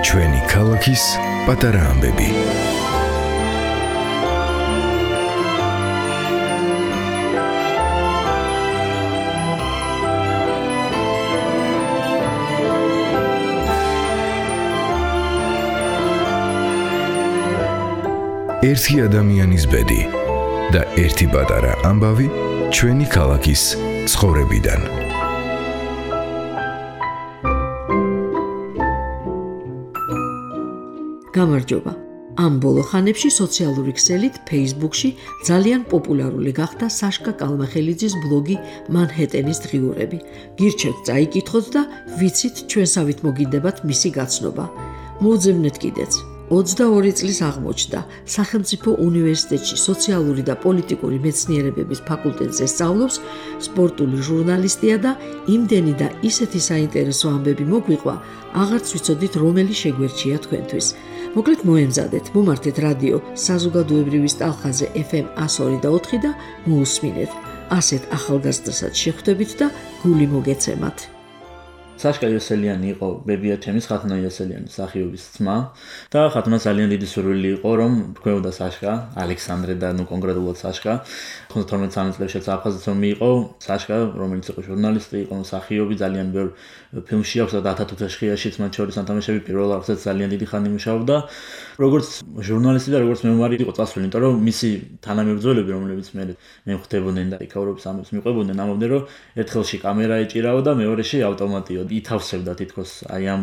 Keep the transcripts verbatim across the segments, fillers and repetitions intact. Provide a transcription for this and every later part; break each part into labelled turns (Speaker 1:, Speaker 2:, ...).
Speaker 1: ჩვენი ქალაქის პატარა ამბები. ერთი ადამიანის ბედი და ერთი პატარა ამბავი ჩვენი ქალაქის ცხოვრებიდან.
Speaker 2: გამარჯობა. ამ ბოლო ხანებში სოციალური ქსელით Facebook-ში ძალიან პოპულარული გახდა საშკა კალმახელიძის ბლოგი მანჰეტენის დღიურები. გირჩევთ წაიკითხოთ და ვიცით ჩვენსავით მოგინდებათ მისი გაცნობა. მოუძებნეთ კიდეც. ოცდაორი წლის აღმოჩნდა სახელმწიფო უნივერსიტეტში სოციალური და პოლიტიკური მეცნიერებების ფაკულტეტზე სწავლობს სპორტული ჟურნალისტია და იმდენი და ისეთი საინტერესო ამბები მოგვიყვა, აღარც ვიცოდით რომელი შეგვერჩია თქვენთვის. მოკლედ მოემზადეთ, მომართეთ რადიო საზოგადოებრივის ტალხაზე ეფ ემ εκατო ორი და ოთხი და მოусმინეთ. ასეთ ახალგაზრდასაც შეხვდებით და გული მოგეცემათ.
Speaker 3: საშკა იოსელიანი იყო ბებია ჩემის ხათუნა იოსელიანის სახიობის ძმა და ხათუნა ძალიან დიდი სურვილი იყო რომ გვეოდა საშკა ალექსანდრე და ნუ კონკრეტულად საშკა თორმეტ წელს აფხაზეთს რომ მიიყო საშკა რომელიც იყო ჟურნალისტი იყო სახიობი ძალიან ბევრ ფილმში აქვს და ათათუთაშხიაშიც მათ შორის ანთამაშები პირველ არხზე ძალიან დიდი ხანი მუშაობდა როგორც ჟურნალისტი და როგორც მემუარი იყო წასული იმიტომ რომ მისი თანამებრძოლები რომლებიც მე მე ხვდებოდნენ და იქაურობის ამბებს მიყვებოდნენ ამბობდნენ რომ ერთხელში კამერა ეჭირავა და მეორეში ავტომატი ითავსებდა თითქოს აი ამ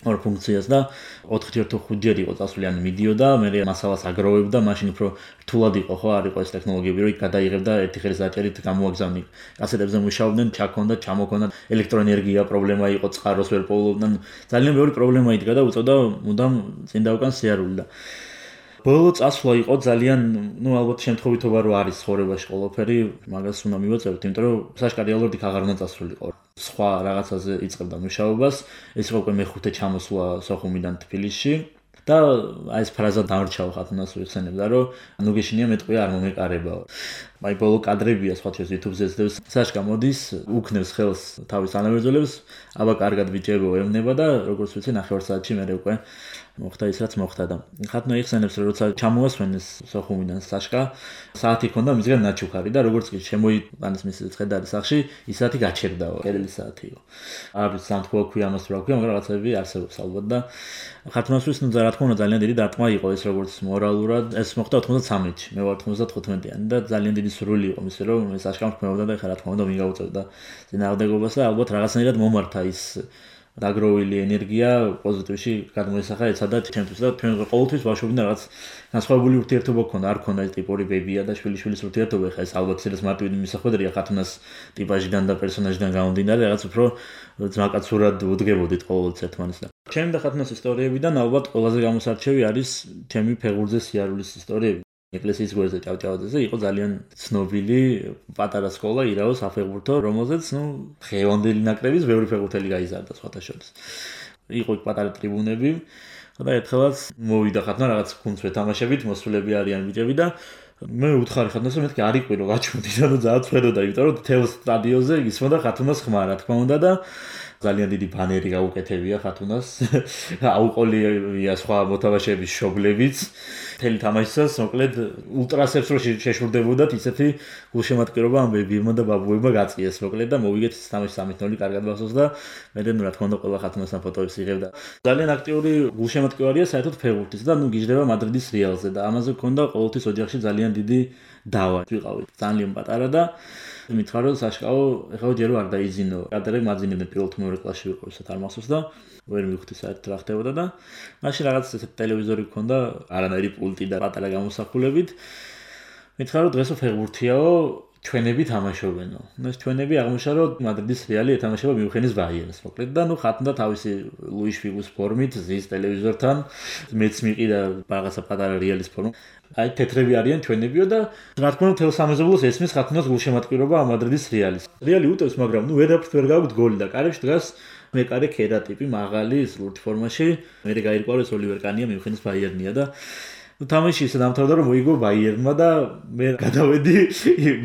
Speaker 3: ორ ფუნქციას და ოთხი თუ ხუთჯერ იყო წასული ან მიდიოდა მე მასალას აგროვებდა მაშინ უფრო რთულად იყო ხო არ იყო ეს ტექნოლოგიები რომ გადაიღებდა ერთი ხელის დაჭერით გამოაგზავნი კასეტებზე მუშაობდნენ ჩაქონდა ჩამოქონდა ელექტროენერგია პრობლემა იყო წყაროს ვერ პოულობდნენ ძალიან ბევრი პრობლემა იდგა და უწევდა მუდამ წინ და უკან სიარული და ბოლო წასვლა იყო ძალიან ნუ ალბათ შემთხვევითობა რო არის ცხოვრებაში ყველაფერი მაგას უნდა მივაწევთ იმიტომ რომ საშკა რეალურად იქ აღარ უნდა წასულიყო სხვა რაღაცაზე იწყებდა მუშაობას ეს იყო უკვე მეხუთე ჩამოსვლა სოხუმიდან თბილისში და აი ეს ფრაზა დამრჩავა ხათუნას ვიხსენებდა რომ ნუ გეშინია მეტყვია არ მომეკარებაო აი ბოლო კადრებია სხვა თვეს YouTube-ზე ძდებს საშკა მოდის უქნევს ხელს თავის ანაბერძოლებს აბა კარგად ბიჭებო ევნება და როგორც ვიცი ნახევარ საათში მე უკვე მოხდა ის რაც მოხდა და ხათუნა იხსენებს რომ როცა ჩამოასვენეს სოხუმიდან საშკა საათი ქონდა მისგან ნაჩუქარი და როგორც კი შემოიტანეს მის ხედარის სახში ის საათი გაჩერდაო კერელი საათი იყო არის სამთქო ქვია ამას რა ქვია მაგრამ რაღაცები არსებობს ალბათ და ხათუნასთვის ნუ რა თქმა უნდა ძალიან დიდი დარტყმა იყო ეს როგორც მორალურად ეს მოხდა ოთხმოცდათსამეთში მე ვარ თხმოცდათხუთმეტიანი და ძალიან დიდი სურვილი იყო მის რომ ეს საშკამ ხმეობდა და ხა რა თქმა უნდა მიგაუწევდა წინააღმდეგობას და ალბათ რაღაცნაირად მომართა ის დაგროვილი ენერგია პოზიტივში გადმოისახა ეცადა ჩემთვის და ჩვენ ყოველთვის ბავშვობიდან რაღაც განსხვავებული ურთიერთობა გქონდა არ გქონდა ეს ტიპური ბებია და შვილიშვილის ურთიერთობა ხა ეს ალბათ ეს მარტივი მისახვედრია ხათუნას ტიპაჟიდან და პერსონაჟიდან გამომდინარე რაღაც უფრო ძმაკაცურად უდგებოდით ყოველთვის ერთმანეთს და ჩემი და ხათუნას ისტორიებიდან ალბათ ყველაზე გამოსარჩევი არის ჩემი ფეხბურთზე სიარულის ისტორიები ეკლესიის გვერდზე ჭავჭავაძეზე იყო ძალიან ცნობილი პატარა სკოლა ირაოს საფეხბურთო რომელზეც ნუ ხევანდელი ნაკრების ბევრი ფეხბურთელი გაიზარდა სხვათა შორის იყო იქ პატარა ტრიბუნები და ერთხელაც მოვიდა ხათუნა რაღაც გუნდს ვეთამაშებით მოსულები არიან ბიჭები და მე უთხარი ხათუნას რომ მეთქი არ იყვირო გაჩვენდი და ძალიან ცხედოდა იმიტომ რომ თელ სტადიონზე ისმოდა ხათუნას ხმა რა თქმა უნდა და ძალიან დიდი ბანერი გაუკეთებია ხათუნას აუყოლია სხვა მოთამაშეების შობლებიც მთელი თამაშისას მოკლედ ულტრასებს რო შეშურდებოდათ ისეთი გულშემატკივრობა ამ ბებიებმა და ბაბუებმა გაწიეს მოკლედ და მოვიგეთ ის თამაში სამი ნული კარგად ბახსოვს და მე და ნუ რა თქმა უნდა ყველა ხათუნასთან ფოტოებს იღებდა ძალიან აქტიური გულშემატკივარია საერთოდ ფეხბურთის და ნუ გიждდება მადრიდის რეალზე და ამაზე გქონდა ყოველთვის ოჯახში ძალიან დიდი დავა ვიყავით ძალიან პატარა და მითხარო საშკაო ეხლა ჯერო არ დაიზინო კადრები მაძინებდნენ პირველ თუ მეორე კლასში ვიყო ისეთ არ მახსოვს და ვერ მივხვდი საერთოდ რა ხდებოდა და მაშინ რაღაც ესეთ ტელევიზორი გქონდა არანაირი პულტი და პატარა გამოსახულებით მითხარო დღესო ფეხბურთიაო ჩვენები თამაშობენო ნუ ეს ჩვენები აღმოჩნდა რომ მადრიდის რეალი ეთამაშება მიუნხენის ბაიერნს მოკლედ და ნუ ხათუნდა თავისი ლუის ფიგუს ფორმით ზის ტელევიზორთან მეც მიყიდა რაღაცა პატარა რეალის ფორმა აი თეთრები არიან ჩვენებიო და რა თქმა უნდა თელ სამეზობლოს ესმის ხათუნას გულშემატკივრობა ამ მადრიდის რეალის რეალი უტევს მაგრამ ნუ ვერაფრით ვერ გავიგთ გოლი და კარებში დგას მეკარე ქერა ტიპი მაღალი ლურჯ ფორმაში მე გაირკვევს ოლივერ კანია მიუნხენის ბაიერნია და ნუ თამაში ისე დამთავრდა რომ მოიგო ბაიერნმა და მე გადავედი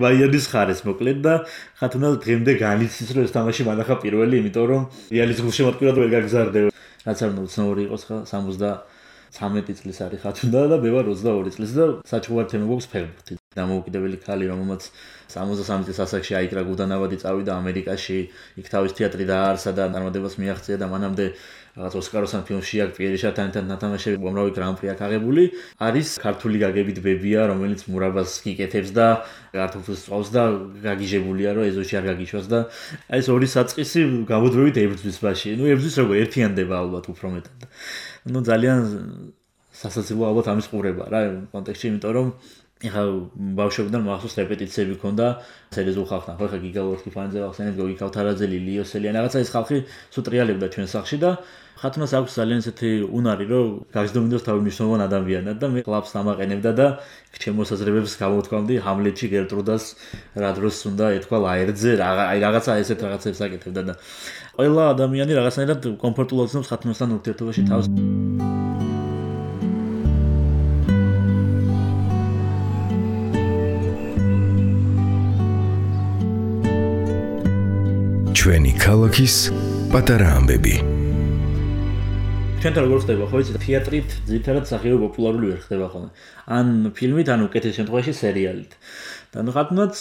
Speaker 3: ბაიერნის ხარეს მოკლედ და ხათუნა დღემდე განიცდის რომ ეს თამაში მანახა პირველი, იმიტომ რომ რეალის გულშემატკივრად ვერ გაგზარდე. რაც არ უნდა უცნაური იყოს ხა სამოცდამეტი წლის არის ხათუნა და მე ვარ ოცდაორი წლის და საჩუქარ თემა გვაქვს ფეხბურთი. დამოუკიდებელი ქალი რომელმაც სამოცდასამი წლის ასაკში აიკრა გუდანავადი წავიდა ამერიკაში, იქ თავის თეატრი დააარსა და წარმატებას მიაღწია და მანამდე რაღაც ოსკაროსან ფილმში აქ პიერი შატანთან ნათამაშები უამრავი გრან-პრი აქვს აღებული. არის ქართული გაგებით ბებია, რომელიც მურაბას გიკეთებს და კარტოფილს წვავს და გაგიჟებულია რომ ეზოში არ გაგიშვას და აი ეს ორი საწყისი გამოდვევით ებრძვის ბაში. ნუ ებრძვის როგორ ერთიანდება ალბათ უფრო მეტად. ნუ ძალიან სასაცილო ალბათ ამის ყურება რა კონტექსტში, იმიტომ რომ ეხლა ბავშვებიდან მახსოვს რეპეტიციები ქონდა სერიოზულ ხალხთან. ხო ეხლა გიგალორთი ფანზე ახსენებ გოგი ქავთარაძელი, ლიოსელიანი რაღაცა ეს ხალხი სულ ტრიალებდა ჩვენ სახლში და ხათუნას აქვს ძალიან ესეთი უნარი რომ გაგზდომინდოს თავი მნიშვნელოვან ადამიანად და მე კლუბს ამაყენებდა და ჩემ მოსაზრებებს გამოთქვამდი ჰამლეტში გერტრუდას რა დროს უნდა ეთქვა ლაერტზე აი რაღაცა ესეთ რაღაცებს აკეთებდა და ყველა ადამიანი რაღაცნაირად კომფორტულად ცნობს ხათუნასთან ურთიერთობაში თავს.
Speaker 1: ჩვენი ქალაქის პატარა ამბები.
Speaker 3: ჩვენთან როგორ ხდება ხო იცი თეატრით ძირითადად მსახიობი პოპულარული ვერ ხდება ხოლმე. ან ფილმით, ან უკეთეს შემთხვევაში სერიალით. და ნუ ხათუნაც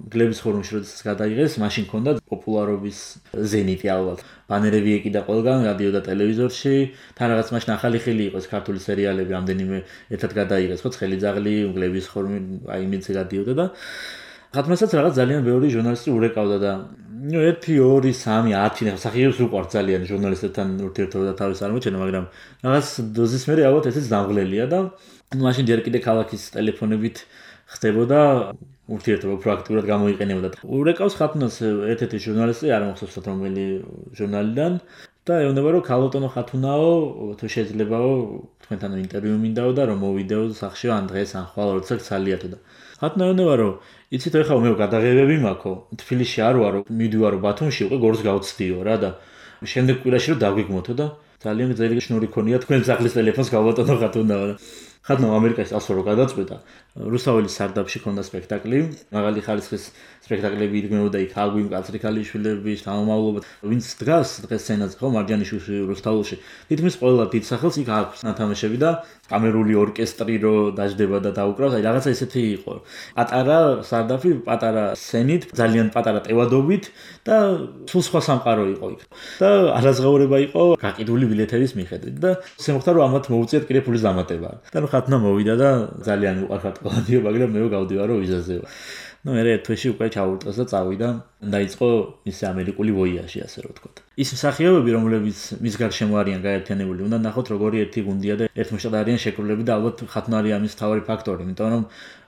Speaker 3: გლების ხორმში როდესაც გადაიღეს, მაშინ ქონდა პოპულარობის ზენიტი ალბათ. ბანერები ეკიდა ყველგან, რადიო და ტელევიზორში. თან რაღაც მაშინ ახალი ხილი იყო ეს ქართული სერიალები, რამდენიმე ერთად გადაიღეს, ხო, ცხელიძაღლი, გლების ხორმი, აი იმიც გადიოდა და ხათუნასაც რაღაც ძალიან ბევრი ჟურნალისტი ურეკავდა და ნუ ერთი, ორი, სამი, ათი მსახიობს უყვართ ძალიან ჟურნალისტებთან ურთიერთობა და თავის წარმოჩენა, მაგრამ რაღაც დოზის მერე ალბათ ესეც დამღლელია და ნუ მაშინ ჯერ კიდე ქალაქის ტელეფონებით ხდებოდა ურთიერთობა პრაქტიკულად გამოიყენებოდა. ურეკავს ხათუნას ერთ-ერთი ჟურნალისტი, არ მახსოვს რომელი ჟურნალიდან და ეუბნება რომ ქალოტონო ხათუნაო, თუ შეიძლებაო თქვენთან ინტერვიუ მინდაო და რომ მოვიდეო სახში ან დღეს ან ხვალ როცა გცალიათო და ხათუნა ეუბნება რომ იცით ეხლა მე გადაღებები მაქვს, თბილისში არ ვარო, მიდივარო ბათუმში, უკვე გორს გავცდიო რა და შემდეგ კვირაში რომ დაგვიგმოთო და ძალიან ძელი შნური ქონია თქვენ სახლის ტელეფონს გავატონო ხათუნაო და ხათუნა ამერიკაში ასო რო გადაწყვიტა. რუსაველის სარდაფში ქონდა სპექტაკლი, მაღალი ხარისხის სპექტაკლები იდგმებოდა იქ აგვიმ კაცრი ქალიშვილების თავმავლობა, ვინც დგას დღეს სცენაზე ხო მარჯანიშვილში რუსთაველში. თითქმის ყველა დიდ სახელს იქ აქვს ნათამაშები და კამერული ორკესტრი რო დაждდება და დაუკრავს, აი რაღაცა ესეთი იყო. პატარა სარდაფი, პატარა სცენით, ძალიან პატარა ტევადობით და სულ სხვა სამყარო იყო იქ. და არაზღაურება იყო გაყიდული ბილეთების მიხედვით და შემოხდა რომ ამათ მოუწიათ კიდე ფულის დამატება. და ნუ ხათუნა მოვიდა და ძალიან უყარხარ ყველადიო, მაგრამ მე გავდივარო ვიზაზეო. ნუ მე ერთ თვეში უკვე ჩაურტყეს და წავიდა. დაიწყო ისე ამერიკული ვოიაჟი, ასე რომ ვთქვათ. ის მსახიობები, რომლებიც მის გარშემო არიან გაერთიანებული, უნდა ნახოთ როგორი ერთი გუნდია და ერთმოშტად არიან შეკრულები და ალბათ ხათუნა არის ამის მთავარი ფაქტორი, იმიტომ რომ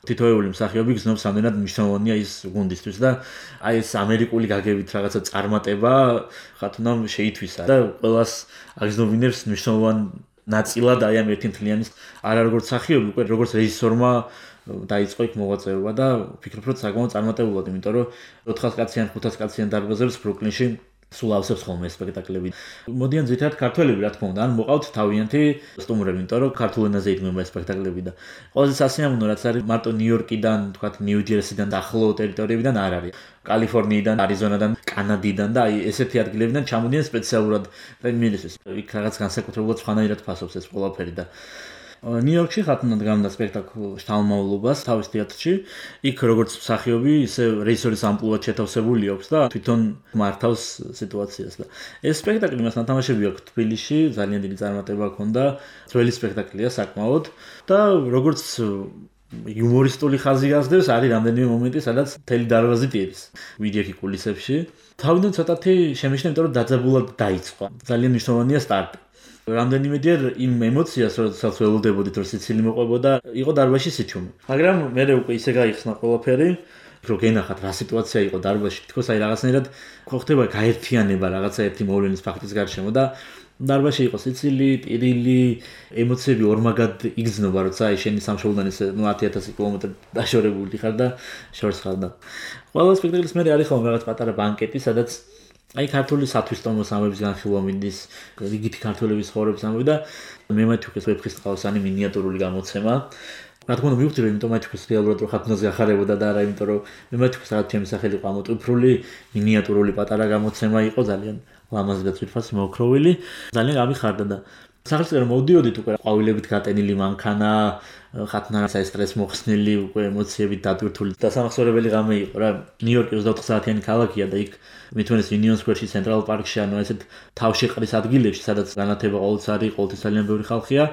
Speaker 3: თითოეული მსახიობი გზნობს რამდენად მნიშვნელოვანია ის გუნდისთვის და აი ეს ამერიკული გაგებით რაღაცა წარმატება ხათუნამ შეითვისა და ყველას აგზნობინებს მნიშვნელოვან ნაწილად აი ამ ერთი მთლიანის არა როგორც მსახიობი, უკვე როგორც რეჟისორმა დაიწყო იქ მოღვაწეობა და ვფიქრობ რომ საკმაოდ წარმატებულად, იმიტომ რომ ოთხას კაციან, ხუთას კაციან დარბაზებს ბრუკლინში სულ ავსებს ხოლმე სპექტაკლები. მოდიან ძირითადად ქართველები რა თქმა უნდა, ან მოყავთ თავიანთი სტუმრები, იმიტომ რომ ქართულ ენაზე იდგმება სპექტაკლები და ყველაზე სასიამოვნო რაც არის მარტო ნიუ-იორკიდან, თქვათ ნიუ-ჯერსიდან და ახლო ტერიტორიებიდან არ არის. კალიფორნიიდან, არიზონადან, კანადიდან და აი ესეთი ადგილებიდან ჩამოდიან სპეციალურად პრემიერისთვის. იქ რაღაც განსაკუთრებულად სხვანაირად ფასობს ეს ყველაფერი და ნიუ-იორკში ხათუნა დგამდა სპექტაკლ შთამომავლობას თავის თეატრში. იქ როგორც მსახიობი, ისე რეჟისორის ამპლუად შეთავსებული აქვს და თვითონ მართავს სიტუაციას და ეს სპექტაკლი მას ნათამაშები აქვს თბილისში, ძალიან დიდი წარმატება ჰქონდა. ძველი სპექტაკლია საკმაოდ და როგორც იუმორისტული ხაზი გასდევს, არის რამდენიმე მომენტი, სადაც მთელი დარბაზი პირის. ვიდეო კულისებში. თავიდან ცოტათი შემეშნა, იმიტომ რომ დაძაბულად დაიწყო. ძალიან მნიშვნელოვანია სტარტი. რამდენიმეჯერ იმ ემოციას, როდესაც ველოდებოდით, რომ სიცილი მოყვებოდა, იყო დარბაზში სიჩუმე. მაგრამ მე უკვე ისე გაიხსნა ყველაფერი, რომ გენახათ რა სიტუაცია იყო დარბაზში, თქოს აი რაღაცნაირად ხო ხდება გაერთიანება რაღაცა ერთი მოვლენის ფაქტის გარშემო და დარბაზში იყო სიცილი, პირილი, ემოციები ორმაგად იგრძნობა, როცა აი შენი სამშობლოდან ესე ნუ ათი ათასი კილომეტრი დაშორებული ხარ და შორს ხარ და ყველა სპექტაკლის მერე არის ხოლმე რაღაც პატარა ბანკეტი, სადაც აი ქართული სათვისტომოს ამბების განხილვა მინდის, რიგითი ქართველების ცხოვრების ამბები და მე მეთქვის ვეფხისტყაოსანი მინიატურული გამოცემა. რა თქმა უნდა მივხვდი რომ იმიტომ მეთქვის რეალურად რომ ხათუნაზე ახარებოდა და არა იმიტომ რომ მე მეთქვის რაღაც ჩემი სახელი იყო ამოტვიფრული მინიატურული პატარა გამოცემა იყო ძალიან ლამაზი და თვითფასი მოოქროვილი ძალიან გამიხარდა და სახელმწიფო მოვდიოდით უკვე ყვავილებით გატენილი მანქანა ხათუნას ეს სტრეს მოხსნილი უკვე ემოციებით დატვირთული და სამახსოვრებელი ღამე იყო რა ნიუ-იორკი ოცდაოთხ საათიანი ქალაქია და იქ მithunes Union Square-ში ცენტრალ პარკში ანუ ესეთ თავშეყრის ადგილებში სადაც განათება ყოველთვის არის ყოველთვის ძალიან ბევრი ხალხია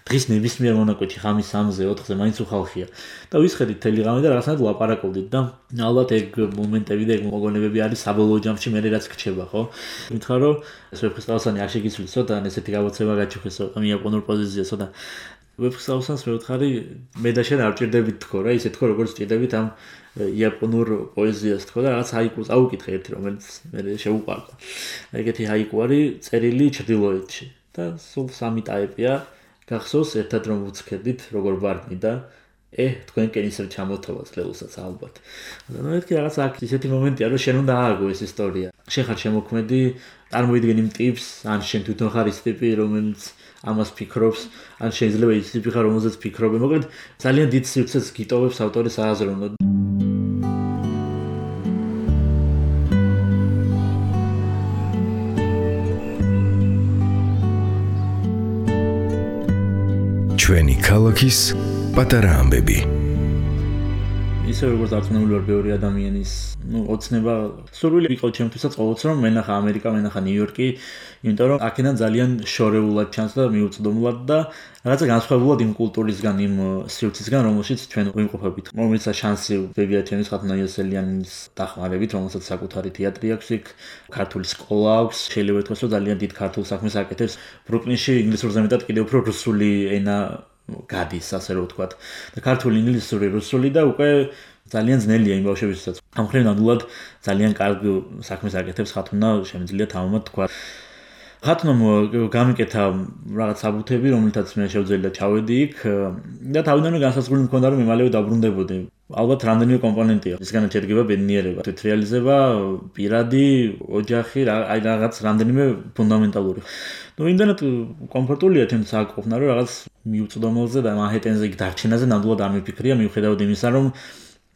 Speaker 3: დღის ნებისმიერ მონაკვეთში ხამის სამზე ოთხზე მაინც უხალხია და ვისხედით თელი ღამე და რაღაცნაირად ვლაპარაკობდით და ალბათ ეგ მომენტები და ეგ მოგონებები არის საბოლოო ჯამში მე რაც გრჩება ხო მითხრა რომ ეს ვეფხისტყაოსანი არ შეგიცვლისო და ესეთი გამოცემა გაჩუქესო იაპონურ პოზიციასო და ვეფხისტყაოსანს მევთხარი მე და შენ არ ჭირდებით თქო რა ისე თქო როგორც ჭირდებით ამ იაპონურ პოეზიას თქო და რაღაც ჰაიკუს აუკითხე ერთი რომელიც მე შეუყვარდა ეგეთი ჰაიკუ არის წერილი ჩრდილოეთში და სულ სამი ტაიპია გახსოვს ერთად რომ ვუცქედით როგორ ვარდნი და ე თქვენ კენისერ ჩამოთავაზ ლეულსაც ალბათ და ნუ ერთი რაღაც აქ ისეთი მომენტია რომ შენ უნდა ააგო ეს ისტორია შენ ხარ შემოქმედი წარმოიდგენ იმ ტიპს ან შენ თვითონ ხარ ის ტიპი რომელიც ამას ფიქრობს ან შეიძლება ის ტიპი ხარ რომელზეც ფიქრობენ მოკლედ ძალიან დიდ სივრცეს გიტოვებს ავტორის აზროვნო
Speaker 1: ჩვენი ქალაქის პატარა ამბები
Speaker 3: ისე როგორც არწმუნებული ვარ ბევრი ადამიანის ნუ ოცნება სურვილი იყო ჩემთვისაც ყოველთვის რომ მენახა ამერიკა მენახა ნიუ-იორკი იმიტომ რომ აქედან ძალიან შორეულად ჩანს და მიუწვდომლად და რაღაცა განსხვავებულად იმ კულტურისგან იმ სივრცისგან რომელშიც ჩვენ ვიმყოფებით რომელსაც შანსი ბებია ჩემის ხათუნა იოსელიანის დახმარებით რომელსაც საკუთარი თეატრი აქვს იქ ქართული სკოლა აქვს შეიძლება ითქვას რომ ძალიან დიდ ქართულ საქმეს აკეთებს ბრუკლინში ინგლისურზე მეტად კიდევ უფრო რუსული ენა გადის ასე რომ ვთქვათ და ქართული ინგლისური რუსული და უკვე ძალიან ძნელია იმ ბავშვებისთვისაც ამ მხრივ ნამდვილად ძალიან კარგ საქმეს აკეთებს ხათუნა შემიძლია თამამად თქვა ხათუნამ გამიკეთა რაღაც საბუთები რომელთაც მე შევძელი და ჩავედი იქ და თავიდანვე განსაზღვრული მქონდა რომ მალევე დაბრუნდებოდი ალბათ რამდენიმე კომპონენტია ისგანაც შედგება ბედნიერება თვითრეალიზება პირადი ოჯახი აი რაღაც რამდენიმე ფუნდამენტალური ну იმდანაც კომფორტულია თემს აკოფნა რომ რაღაც მიუწვდომელზე და მანჰეტენზე იქ დარჩენაზე ნამდვილად არ მიფიქრია მიუხედავად იმისა რომ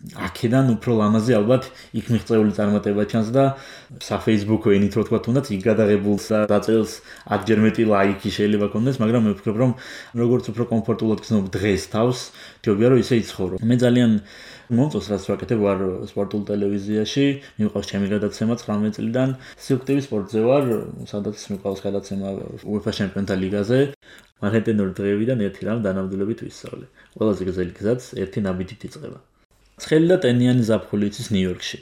Speaker 3: აქედან უფრო ლამაზი ალბათ იქ მიღწეული წარმატება ჩანს და საფეისბუქო ენით რო თქვა თუნდაც იქ გადაღებულს და დაწერილს ათჯერ მეტი ლაიკი შეიძლება კონდეს მაგრამ მე ვფიქრობ რომ როგორც უფრო კომფორტულად გრძნობ დღეს თავს ჯობია რომ ისე იცხოვრო მე ძალიან მომწონს რაც ვაკეთებ ვარ სპორტულ ტელევიზიაში მიყვარს ჩემი გადაცემა ცხრამეტ წლიდან სიუქტივის სპორტზე ვარ სადაც მიყვარს გადაცემა UEFA ჩემპიონთა ლიგაზე მანჰეტენურ დღეებიდან ერთი რამ დანამდვილებით ვისწავლე ყველაზე გრძელი გზაც ერთი ნაბიჯით იწყება ცხელი და ტენიანი ზაფხული იცის ნიუ-იორკში.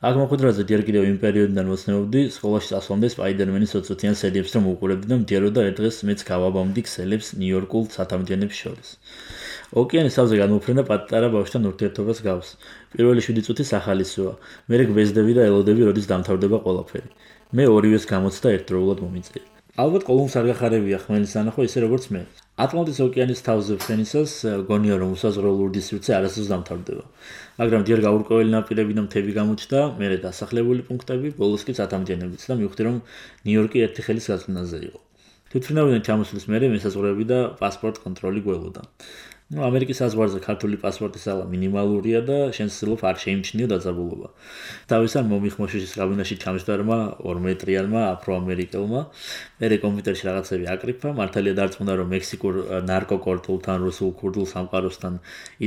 Speaker 3: აქ მოხვედრაზე ჯერ კიდევ იმ პერიოდიდან მოცნებობდი სკოლაში წასვლამდე სპაიდერმენის ოცდაათიან სერიებს რომ უყურებდი და მდიაროდა ერთ დღეს მეც გავაბამდი ქსელებს ნიუ-იორკულ სათამბჯენებს შორის. ოკეანის თავზე განმოფრენა პატარა ბავშვთან ურთიერთობას გავს. პირველი შვიდი წუთი სახალისოა. მერე გვეზდები და ელოდები როდის დამთავრდება ყველაფერი. მე ორივეს გამოცდა ერთდროულად მომიწია. ალბათ ყოველს არ გახარებია ხმელის ანახვა ისე როგორც მე. ატლანტის ოკეანის თავზე ფრენისას გონია რომ უსაზღვრო ლურჯი სივრცე არასდროს დამთავრდება. მაგრამ ჯერ გაურკვეველი ნაპირები და მთები გამოჩნდა, მერე დასახლებული პუნქტები, ბოლოს კი სათამბჯენებიც და მივხვდი რომ ნიუ-იორკი ერთი ხელის გაწმენდაზე იყო. თვითმფრინავიდან ჩამოსვლის მერე მესაზღვრეები და პასპორტ კონტროლი გველოდა. ну ამერიკის საზღვარზე ქართული პასპორტის ალა მინიმალურია და შენ ცდილობ არ შეიმჩნიო დაძაბულობა. თავისთან მომიხმოშიშის კაბინაში ჩამჯდარმა ორ მეტრიანმა აფროამერიკელმა მერე კომპიუტერში რაღაცები აკრიფა, მართალია დარწმუნდა რომ მექსიკურ ნარკოკორტულთან, რუსულ ქურდულ სამყაროსთან,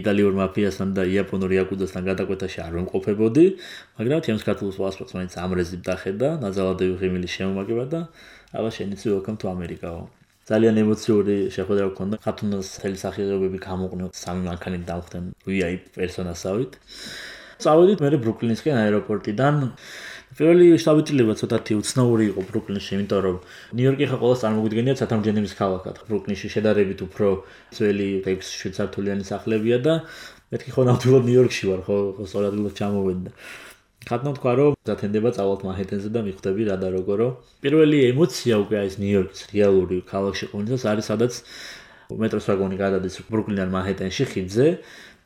Speaker 3: იტალიურ მაფიასთან და იაპონურ იაკუძასთან გადაკვეთაში არ ვიმყოფებოდი, მაგრამ ჩემს ქართულ პასპორტს მაინც ამრეზი დახედა, ნაძალადევი ღიმილი შემომაგება და აბა შენიცი welcome to America-ო. ძალიან ემოციური შეხვედრა გქონდა. ხათუნას მთელი სახიობები გამოყნე სამი მანქანით დავხდნენ ვი აი პი პერსონასავით. წავედით მე ბრუკლინისკენ აეროპორტიდან. პირველი შტაბ-ჭრილება ცოტათი უცნაური იყო ბრუკლინში, იმიტომ რომ ნიუ-იორკი ხა ყოველს წარმოგვიდგენიათ სათამბჯენების ქალაქად. ბრუკლინში შედარებით უფრო ძველი ექვს შვიდ სართულიანი სახლებია და მეთქი ხო ნამდვილად ნიუ-იორკში ვარ, ხო სწორად ჩამოვედი. ხათუნამ თქვა რომ დათენდება წავალთ მანჰეტენზე და მიხვდები რა და როგორო. პირველი ემოცია უკვე არის ნიუ-იორკის რეალური ქალაქში ყოფნისას არის სადაც მეტროს ვაგონი გადადის ბრუკლინიდან მანჰეტენში ხიდზე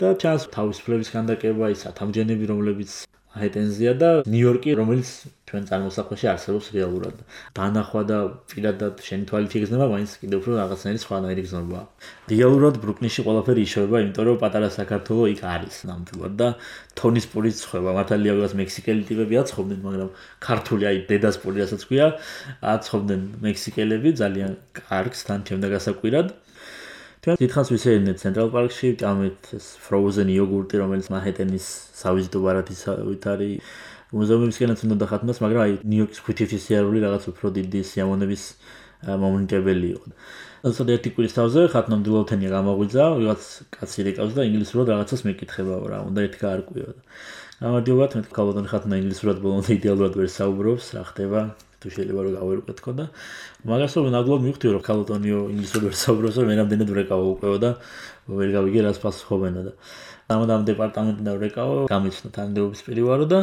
Speaker 3: და ჩანს თავისუფლების ქანდაკება, ის სათამბჯენები რომლებიც მაჰეტენზეა და ნიუ-იორკი, რომელიც ჩვენ წარმოსახვაში არსებობს რეალურად. დანახვა და პირადად შენი თვალით იგრძნობა, მაინც კიდევ უფრო რაღაცნაირი სხვანაირი გზნობაა. რეალურად ბრუკლინში ყველაფერი იშოვება, იმიტომ რომ პატარა საქართველო იქ არის ნამდვილად და თონის პურით ცხება. მართალია ვიღაც მექსიკელი ტიპები აცხობდნენ, მაგრამ ქართული აი დედას პური რასაც ქვია, აცხობდნენ მექსიკელები ძალიან კარგს თან ჩემდა გასაკვირად. ჩვენ დიდხანს ვისეირნეთ ცენტრალ პარკში, ამით frozen იოგურტი, რომელიც მაჰეტენის სავიზიტო ბარათისავით არის. მუზეუმებისკენაც უნდა დახატნას, მაგრამ აი ნიუ-იორკის ქვითითი სიარული რაღაც უფრო დიდი სიამოვნების მომნტებელი იყო. ასე ერთი კვირის თავზე ხატნამდვილოვთენია გამოგვიძა, ვიღაც კაცი რეკავს და ინგლისურად რაღაცას მეკითხება რა, უნდა ერთი გაარკვიო. გამარჯობა, მე ქალბატონი ხატნა ინგლისურად ბოლომდე იდეალურად ვერ საუბრობს, რა ხდება? თუ შეიძლება რომ გავერკვეთქო და მაგასო ნამდვილად მივხვდი რომ ქალბატონიო ინგლისურად ვერ საუბრობს, რომ მე რამდენად ვრეკავო უკვე და ვერ გავიგე რას პასუხობენა და ამიტომ დეპარტამენტიდან ვრეკავო, გამიცნო თანამდებობის პირი ვარო და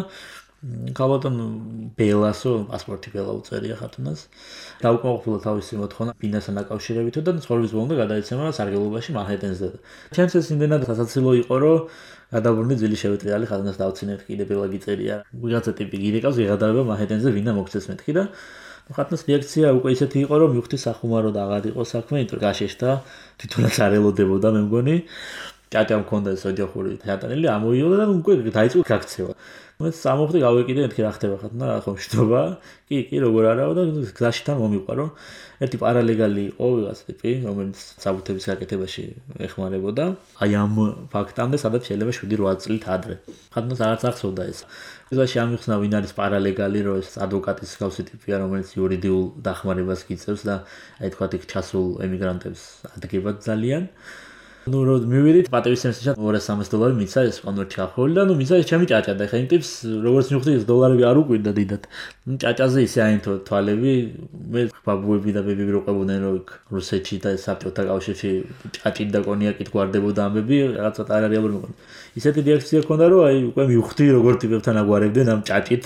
Speaker 3: ქალბატონ ბელასო პასპორტი ბელა უწერია ხათუნას. დაუკმაყოფილა თავისი მოთხოვნა ბინასთან დაკავშირებით და ცხოვრების ბოლომდე გადაეცემა სარგებლობაში მაჰეტენზე. ჩემს ეს იმდენად სასაცილო იყო, რომ გადავრუნდი ძილი შევეტრიალი ხათუნას დავცინეთ კიდე ბელა გიწერია. ვიღაცა ტიპი გირეკავს, ვიღადავება მაჰეტენზე ვინა მოგცეს მეთქი და ხათუნას რეაქცია უკვე ისეთი იყო, რომ მივხვდი სახუმარო და აღარ იყო საქმე, იმიტომ რომ გაშეშდა, თვითონაც არ ელოდებოდა მე მგონი. ჭაჭა მქონდა ეს ოჯახური თეატრელი, ამოიოდა და უკვე დაიწყო გაქცევა. მე სამოხდი გავეკიდე მეთქი რა ხდება ხათუნა რა ხომ შტობა? კი, კი, როგორ არაო და გზაში თან მომიყვა, რომ ერთი პარალეგალი იყო ვიღაც ტიპი, რომელიც საბუთების გაკეთებაში ეხმარებოდა. აი ამ ფაქტამდე სადაც შეიძლება შვიდი რვა წლით ადრე. ხათუნას არც ახსოვდა ეს. გზაში ამიხსნა ვინ არის პარალეგალი, რომ ეს ადვოკატის გავსი ტიპია, რომელიც იურიდიულ დახმარებას გიწევს და აი თქვა იქ ჩასულ ემიგრანტებს ადგება ძალიან. ну რომ მივიდით პატევისცემისთან ორას სამას დოლარი მიცა ეს კონვერტი ახოლი და ну მიცა ეს ჩემი ჭაჭა და ხა იმ ტიპს როგორც მივხვდი ეს დოლარები არ უკვირდა დიდად. ну ჭაჭაზე ისე აინთო თვალები, მე ბაბუები და ბებები რო ყვებოდნენ რომ რუსეთში და საბჭოთა კავშირში ჭაჭით და კონიაკით გვარდებოდა ამბები, რაღაცა არარეალური მოგონი. ისეთი რეაქცია ჰქონდა რომ აი უკვე მივხვდი როგორ ტიპებთან აგვარებდნენ ამ ჭაჭით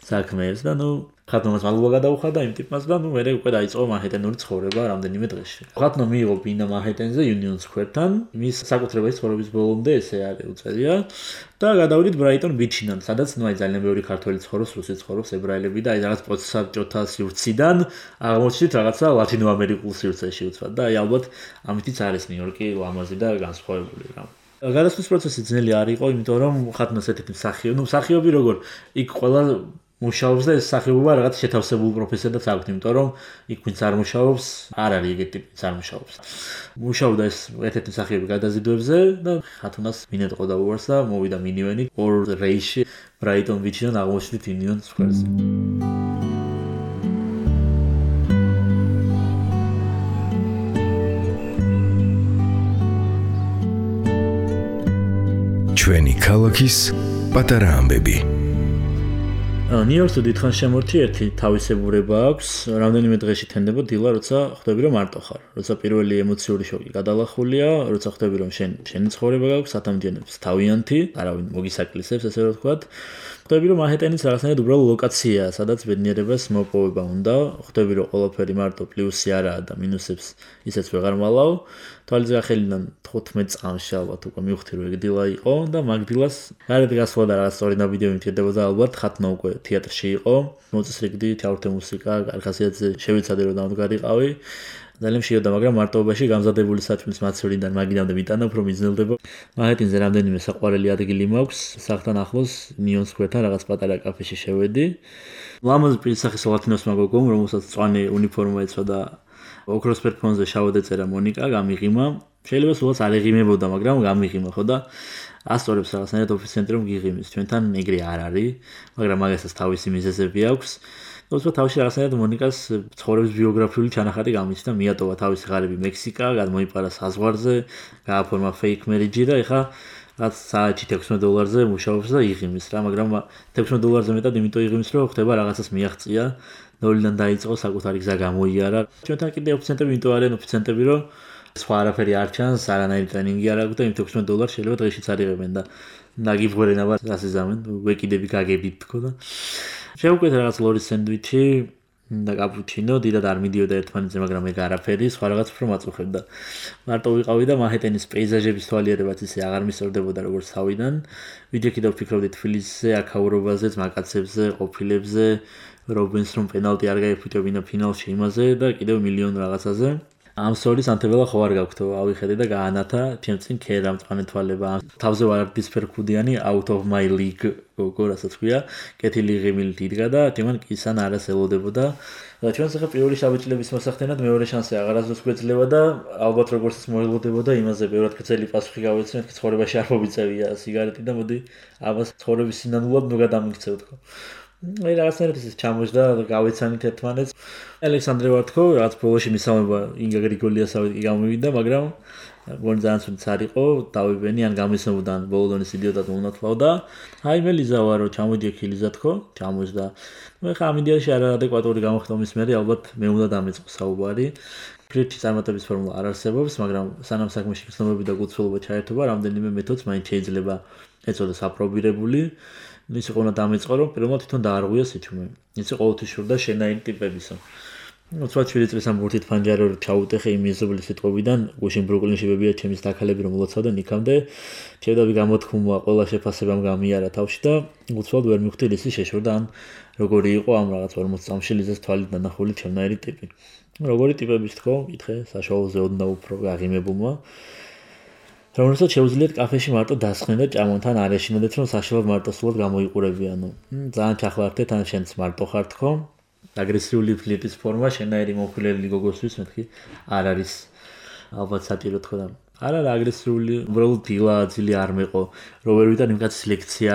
Speaker 3: საქმეებს და ну ხათუნას მადლობა გადაუხადა იმ ტიპმაც და ნუ მერე უკვე დაიწყო მაჰეტენური ცხოვრება რამდენიმე დღეში. ხათუნა მიიღო ბინა მაჰეტენზე Union Square-თან, მის საკუთრებაში ცხოვრების ბოლომდე ესე არის უწერია და გადავიდით Brighton Beach-დან, სადაც ნუ აი ძალიან ბევრი ქართველი ცხოვრობს, რუსი ცხოვრობს, ებრაელები და აი რაღაც პოსტსაბჭოთა სივრციდან აღმოჩნდით რაღაცა ლათინოამერიკულ სივრცეში უცბად და აი ალბათ ამითიც არის ნიუ-იორკი ლამაზი და განსხვავებული რა. გადასვლის პროცესი ძნელი არ იყო, იმიტომ რომ ხათუნას ერთ-ერთი მსახიობი, ნუ მსახიობი როგორ იქ ყველა მუშაობს და ეს სახეობა რაღაც შეთავსებულ პროფესიადაც აქვს, იმიტომ რომ იქ ვინც არ მუშაობს, არ არის ეგეთი ტიპი არ მუშაობს. მუშაობდა ეს ერთ-ერთი სახეობა გადაზიდვებზე და ხათუნას მინეტყო და უარს და მოვიდა მინივენი ორ რეისში Brighton Beach-დან აღმოჩნდით Union Square-ზე.
Speaker 1: ჩვენი ქალაქის პატარა ამბები.
Speaker 3: ნიუ-იორკში დიდხანს შემორჩი ერთი თავისებურება აქვს, რამდენიმე დღეში თენდება დილა, როცა ხვდები რომ მარტო ხარ, როცა პირველი ემოციური შოკი გადალახულია, როცა ხვდები რომ შენ შენი ცხოვრება გაქვს, სათამბჯენებს თავიანთი, არავინ მოგისაკლისებს, ესე რომ ვთქვათ. ხვდები რომ მაჰეტენის რაღაცნაირად უბრალო ლოკაციაა, სადაც ბედნიერებას მოპოვება უნდა, ხვდები რომ ყველაფერი მარტო პლუსი არაა და მინუსებს ისეც ვეღარ მალავ. თვალის გახელიდან თხუთმეტ წამში ალბათ უკვე მივხვდი რომ ეგ დილა იყო და მაგ დილას გარეთ გასვლა და რაღაც სწორი ნაბიჯები მჭირდებოდა ალბათ, ხათუნა უკვე თეატრში იყო, მოწესრიგდი, ჩავრთე მუსიკა, კარგასიათზე შევიცადე რომ დამდგარიყავი. ძალიან მშიოდა, მაგრამ მარტოობაში გამზადებული საჭმლის მაცვრიდან მაგიდამდე მიტანა უფრო მიძნელდება. მაჰეტენზე რამდენიმე საყვარელი ადგილი მაქვს, სახლთან ახლოს Union Square-თან რაღაც პატარა კაფეში შევედი. ლამაზი პირისახის ლათინოს მაგოგომ, რომელსაც წვანი უნიფორმა ეცვა და ოქროს ფერფონზე შავად ეწერა მონიკა, გამიღიმა. შეიძლება სულაც არ ეღიმებოდა, მაგრამ გამიღიმა ხო და ასწორებს რაღაცნაირად ოფიცენტრი რომ გიღიმის. ჩვენთან ეგრე არ არის, მაგრამ მაგასაც თავისი მიზეზები აქვს. თუმცა თავში რაღაცნაირად მონიკას ცხოვრების ბიოგრაფიული ჩანახატი გამიჩნდა, მიატოვა თავისი ღარიბი მექსიკა, გადმოიპარა საზღვარზე, გააფორმა fake marriage და ეხა რაც საათში ექვსმეტ დოლარზე მუშაობს და იღიმის რა, მაგრამ ექვსმეტ დოლარზე მეტად იმიტომ იღიმის, რომ ხდება რაღაცას მიაღწია, ნოლიდან დაიწყო საკუთარი გზა გამოიარა. ჩვენთან კიდე ოფიცენტები იმიტომ არიან ოფიცენტები, რომ სხვა არაფერი არ ჩანს, არანაირი ტრენინგი არ აქვს და იმ ექვსმეტ დოლარს შეიძლება დღეშიც არიღებენ და ნაგიბღვრენ აბა ასეზამენ, ვეკიდები გაგებით თქო და შევკვეთ რაღაც ლორის სენდვიჩი, და კაპუჩინო დიდად არ მიდიოდა ერთმანეთზე, მაგრამ ეგ არაფერი, სხვა რაღაც უფრო მაწუხებდა. მარტო ვიყავი და მანჰეტენის პეიზაჟების თვალიერებაც ისე აღარ მისწორდებოდა როგორც თავიდან. ვიდრე კიდევ ვფიქრობდი თბილისზე, აქაურობაზე, მაკაცებზე, ყოფილებზე, რობინს რომ პენალტი არ გაიფუტებინა ფინალში იმაზე და კიდევ მილიონ რაღაცაზე. ამ სწორის ანთებელა ხო არ გაქვთო, ავიხედე და გაანათა, ჩემ წინ ქერა მწვანე თვალება. თავზე ვარდისფერ ქუდიანი out of my league გოგო რასაც ქვია, კეთილი ღიმილით იდგა და ჩემან კისან არას ელოდებოდა. და ჩვენს ახლა პირველი შაბეჭლების მოსახდენად მეორე შანსი აღარასდროს გვეძლება და ალბათ როგორც მოელოდებოდა იმაზე ბევრად გრძელი პასუხი გავეცნეთ, ცხოვრებაში არ მოგიწევია სიგარეტი და მოდი ამას ცხოვრების სინანულად ნუ გადამიქცევ თქო. აი რაღაცნაირად ის ჩამოжდა და გავეცანით ერთმანეთს. ალექსანდრე ვარ თქო, რაღაც ბოლოში მისამება ინგა გრიგოლიასავით გამოვიდა, მაგრამ გონი ძალიან სულიც არ იყო, დავიბენი ან გამისმოდა ან ბოლოდონის იდიოტად უნათლავ და აი მე ლიზა ვარო, ჩამოდი ქილიზა თქო, ჩამოжდა. მე ხა ამიდიაში არაადეკვატური გამოხდომის მერე ალბათ მე უნდა დამეწყო საუბარი. ფრიჩი წარმატების ფორმულა არ არსებობს, მაგრამ სანამ საქმეში გრძნობები და გულწრფელობა ჩაერთობა, რამდენიმე მეთოდს მაინც შეიძლება ეწოდოს აპრობირებული. ისე ყონა დამეწყო რომ პირველად თვითონ დაარღვია სიჩუმე. ისე ყოველთვის შურდა შენაირი ტიპებისა. უცბად შვიდი წლის ამ ბურთით ფანჯარი რომ ჩაუტეხე იმ მეზობლის სიტყვიდან, გუშინ ბრუკლინში ბებია ჩემის დაქალები რომ მოლოცავდნენ იქამდე, შევდავი გამოთქმულმა ყველა შეფასებამ გამიარა თავში და უცბად ვერ მივხვდი ისი შეშორდა ან როგორი იყო ამ რაღაც ორმოც წამში ლიზას თვალით დანახული ჩემნაირი ტიპი. როგორი ტიპების თქო, იკითხე საშუალოზე ოდნა უფრო გაღიმებულმა. რომელსაც შეუძლიათ კაფეში მარტო დასხნენ და ჭამონ, თან არ ეშინოდეთ რომ საშუალოდ მარტოსულად გამოიყურებიანო. ძალიან ჩახლართეთ ან შენც მარტო ხარ თქო. აგრესიული ფლირტის ფორმა შენაირი მომხილელი გოგოსთვის მეთქი არ არის ალბათ სატირო თქო და არ არა აგრესიული, უბრალოდ დილა ძილი არ მეყო. რო ვერ ვიტან იმ კაცის ლექცია,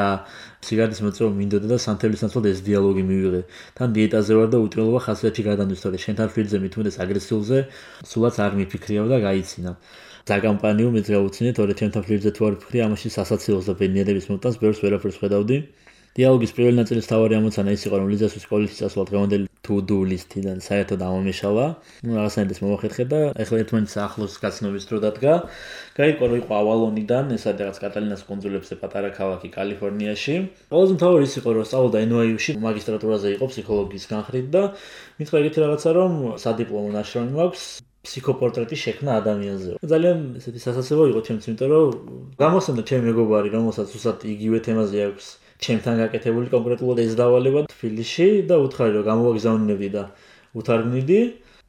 Speaker 3: სიგარეტის მოწევა მინდოდა და სანთებლის ნაცვლად ეს დიალოგი მივიღე. თან დიეტაზე ვარ და უტრელობა ხასიათში გადამდვის, თორე შენთან ფლირტზე მithumedes აგრესიულზე სულაც არ მიფიქრიავ და გაიცინა. ზაკამპანიო მეც გავუცინე, თორე ჩემთან ფლირტზე თუ არ ვფიქრი, ამაში სასაცილოს და ბედნიერების მომტანს ბევრს ვერაფერს ხედავდი. დიალოგის პირველი ნაწილის თავარი ამოცანა ის იყო, რომ ლიზას სკოლაში წასვლა დღევანდელი to-do list-დან საერთოდ ამომეშალა. ნუ რაღაცნაირად მოვახერხე და ეხლა ერთმანეთს ახლოს გაცნობის დრო დადგა. გაიგო რომ იყო ავალონიდან, ეს არის რაღაც კატალინას კუნძულებზე პატარა ქალაქი კალიფორნიაში. ყველაზე მთავარი ის იყო, რომ სწავლობდა ენ ვაი იუ-ში მაგისტრატურაზე იყო ფსიქოლოგიის განხრით და მითხრა ეგეთი რაღაცა, რომ სადიპლომო ნაშრომი მაქვს ფსიქოპორტრეტი შექმნა ადამიანზე. ძალიან ესეთი სასაცილო იყო ჩემთვის, იმიტომ რომ გამოსცემდა ჩემი მეგობარი, რომელსაც უბრალოდ იგივე თემაზე აქვს ჩემთან გაკეთებული კონკრეტულად ეს დავალება თბილისში და უთხარი რომ გამოვაგზავნებდი და უთარგმნიდი.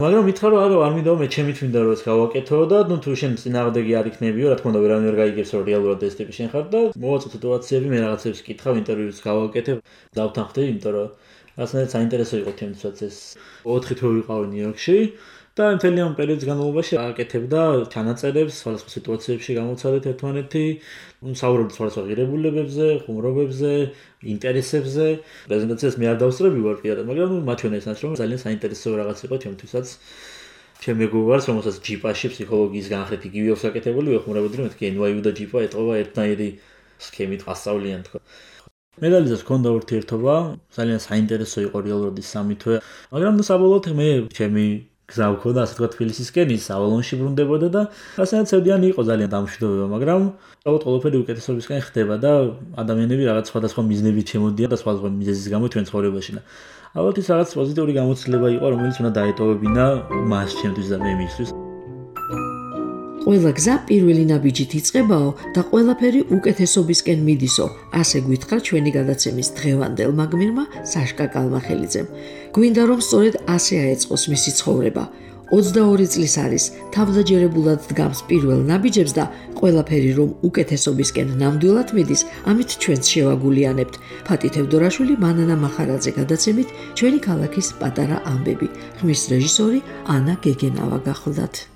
Speaker 3: მაგრამ მითხრა რომ არა, არ მინდა მე ჩემი თვინდა რომ ეს გავაკეთო და ნუ თუ შენ წინააღმდეგი არ იქნებიო, რა თქმა უნდა ვერავინ ვერ გაიგებს რომ რეალურად ეს ტიპი შენ ხარ და მოვაწვე სიტუაციები, მე რაღაცებს კითხავ, ინტერვიუს გავაკეთებ, დავთანხმდი, იმიტომ რომ რაღაცნაირად საინტერესო იყო ჩემთვისაც ეს. ოთხი თვე ვიყავი ნიუ-იორკში. და მთელი ამ პერიოდის განმავლობაში აკეთებდა ჩანაწერებს, სხვადასხვა სიტუაციებში გამოცადეთ ერთმანეთი, საუბრობთ სხვადასხვა ღირებულებებზე, ხუმრობებზე, ინტერესებზე. პრეზენტაციას მე არ დავსწრები ვარ პირადად, მაგრამ მათ შორის ეს ნაშრომი ძალიან საინტერესო რაღაც იყო ჩემთვისაც. ჩემ მეგობარს, რომელსაც ჯიპაში ფსიქოლოგიის განხრით იგივე აქვს აკეთებული, ვეხმარებოდი რომ მეთქი ენ ვაი იუ და ჯიპა ეტყობა ერთნაირი სქემით ასწავლიან თქო. მე და ლიზას ჰქონდა ურთიერთობა, ძალიან საინტერესო იყო რეალურად ის სამი თვე, მაგრამ ნუ საბოლოოდ მე ჩემი გზა ვქონდა ასე თქვა თბილისისკენ, ის ავალონში ბრუნდებოდა და რასაც ცევდიანი იყო ძალიან დამშვიდობება, მაგრამ უბრალოდ ყველაფერი უკეთესობისკენ ხდება და ადამიანები რაღაც სხვადასხვა მიზნებით შემოდიან და სხვადასხვა მიზეზის გამო ჩვენ ცხოვრებაში და ალბათ ის რაღაც პოზიტიური გამოცდილება იყო, რომელიც უნდა დაეტოვებინა მას ჩემთვის და მე მისთვის.
Speaker 2: ყველა გზა პირველი ნაბიჯით იწყებაო და ყველაფერი უკეთესობისკენ მიდისო, ასე გვითხრა ჩვენი გადაცემის დღევანდელმა გმირმა საშკა კალმახელიძემ. გვინდა რომ სწორედ ასე აეწყოს მისი ცხოვრება. ოცდაორი წლის არის, თავდაჯერებულად დგამს პირველ ნაბიჯებს და ყველაფერი რომ უკეთესობისკენ ნამდვილად მიდის, ამით ჩვენც შევაგულიანებთ. ფატი თევდორაშვილი, მანანა მახარაძე გადაცემით ჩვენი ქალაქის პატარა ამბები. ხმის რეჟისორი ანა გეგენავა გახლდათ.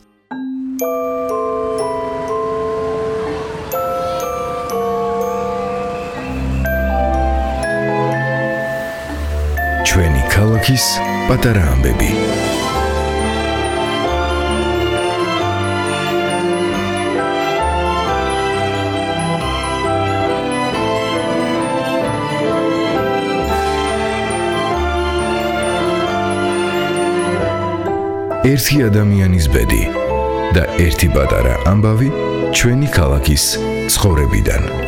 Speaker 1: ჩვენი ქალაქის პატარა ამბები. ერთი ადამიანის ბედი და ერთი პატარა ამბავი ჩვენი ქალაქის ცხოვრებიდან.